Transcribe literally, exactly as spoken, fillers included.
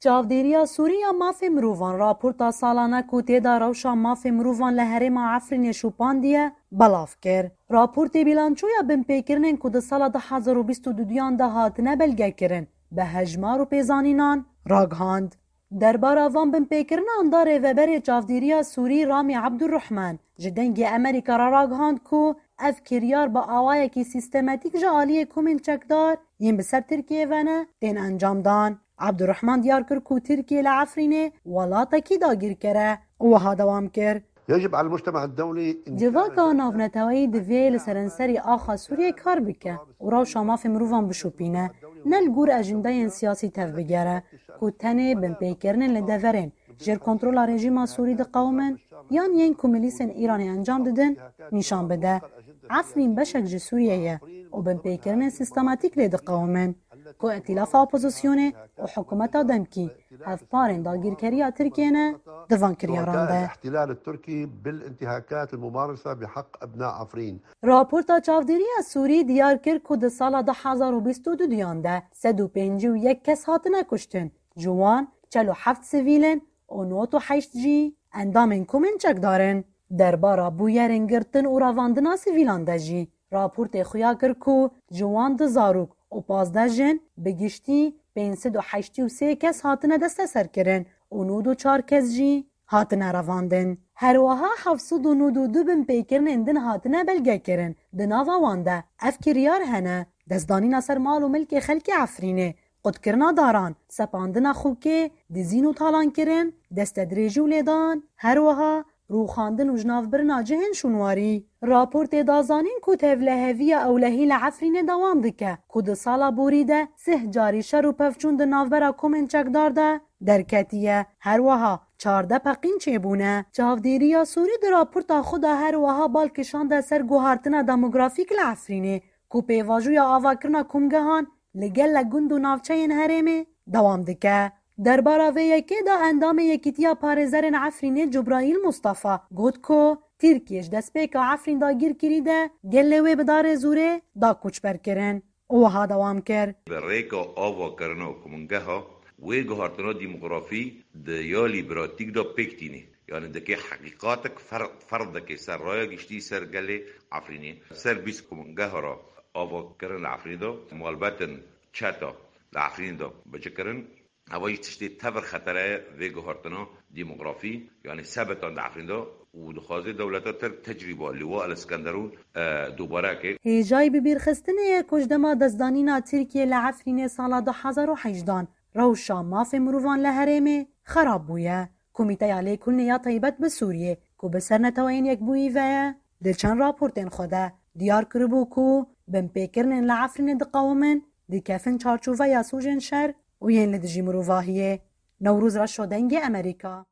Çavdêriya Sûrî ya Mafê Mirovan raporta salane ku tê de rewşa mafê mirovan li herêma Efrînê şopandiye, belav kir. Raportê bîlançoya binpêkirinên ku di sala du hezar û bîst û duyan de hatine belgekirin, bi hejmar û pêzanînan ragihand. Derbara van binpêkirinan da rêveberê çavdêriya Sûrî Ramî Ebdurrehman ji Dengê Amerîka re ragihand ku ev kiryar bi awayekî sîstematîk ji aliyê komên çekdar yên bi ser Tirkiyê ve ne tên encamdan. Ebdurrehman diyar kir ku Tirkiye li Efrînê welatekî dagîrker e û wiha dewam kir. يجب على المجتمع الدولي إن كان Civaka navneteweyî divê li serenserî axa Sûriyê kar bike û rewşa mafê mirovan bişopîne, ne li gor ejendeyên siyasî tevbigere ku tenê binpêkirinên li deverên jêr kontrola rejîma Sûrî diqewimin yan yên ku milîsên Îranê encam didin nîşan bide. Efrîn beşek ji Sûriyê ye û binpêkirinên sîstematîk lê diqewimin ku îtîlafa opozisyonê û hikûmeta demkî hevparên dagîrkeriya Tirkiyê ne di van kiryaran de. الاحتلال التركي بالانتهاكات الممارسة بحق أبناء عفرين. Raporta çavdêriya Sûrî diyar kir ku di sala du hezar û bîst û duyan de sed û pêncî û yek kes hatine kuştin, ji wan çel û heft sivîl in û nod û heşt jî endamên komên çekdar in. Derbara bûyerên girtin û revandina sivîlan de jî raportê xuya kir ku ji wan du zarok û pazdeh jin, bi giştî pênc sed û heştî û sê kes hatine desteserkirin û nod û çar kes jî hatine revandin. Her wiha heft sed û nod û du binpêkirinên din hatine belgekirin. Di nava wan de ev kiryar hene: destdanîna ser mal û milkê xelkê Efrînê, qutkirina daran, sepandina xûkê, dizîn û talankirin, destedirêjî û lêdan, her wiha rûxandin û jinavbirina cihên şûnwarî. Raportê da zanîn ku tevleheviya ewlehî li Efrînê dewam dike, ku di sala borî de sih carî şer û pevçûn di navbera komên çekdar de derketiye. Her wiha çardeh peqîn çêbûne. Çavdêriya Sûrî di raporta xwe de her wiha bal kişande ser guhartina demografîk li Efrînê, ku pêvajoya avakirina komgehan li gelek gund û navçeyên herêmê dewam dike. Derbara vê yekê de endamê Yekîtiya Parêzerên Efrînê Cubraîl Mustafa got ku Tirkiye ji destpêka Efrîn dagîrkirî de gelê wê bi darê zûrê da koçberkirin û wiha dewam kir. Bi rêka avakirina komgeha wê guhartina demografî di ya lî pratîk de pêk tînê. Yani dikê heqîqatek fer-, ferz dikê ser raya giştî ser gelê Efrînê. Ser bîst komgeha re avakirin li Efrînê de, malbetin çeta li Efrînê de bicikirin. Eva jî tiştê tev xetere ye vê guhartina demografî, yani sebetan di Efrînê de û dixwaze dewleta Tirk tecrîba Liwa El Skenderûn, e, dubare ke. Hêjayî bibîrxistinê ye ku ji dema destdanîna Tirkiye li Efrînê sala du hezar û hejdan rewşa mafê mirovan li herêmê xerab bûye. Komîteya Lêkolînê ya Taybet bi Sûriyê, ku bi ser Neteweyên Yekbûyî ve ye, di çend raportên xwe de diyar kiribû ku binpêkirinên li Efrînê diqewimin, dikefin çarçoveya sûcên şer û yên li dijî mirovahiyê. Newroz Reşo, Dengê Amerîka.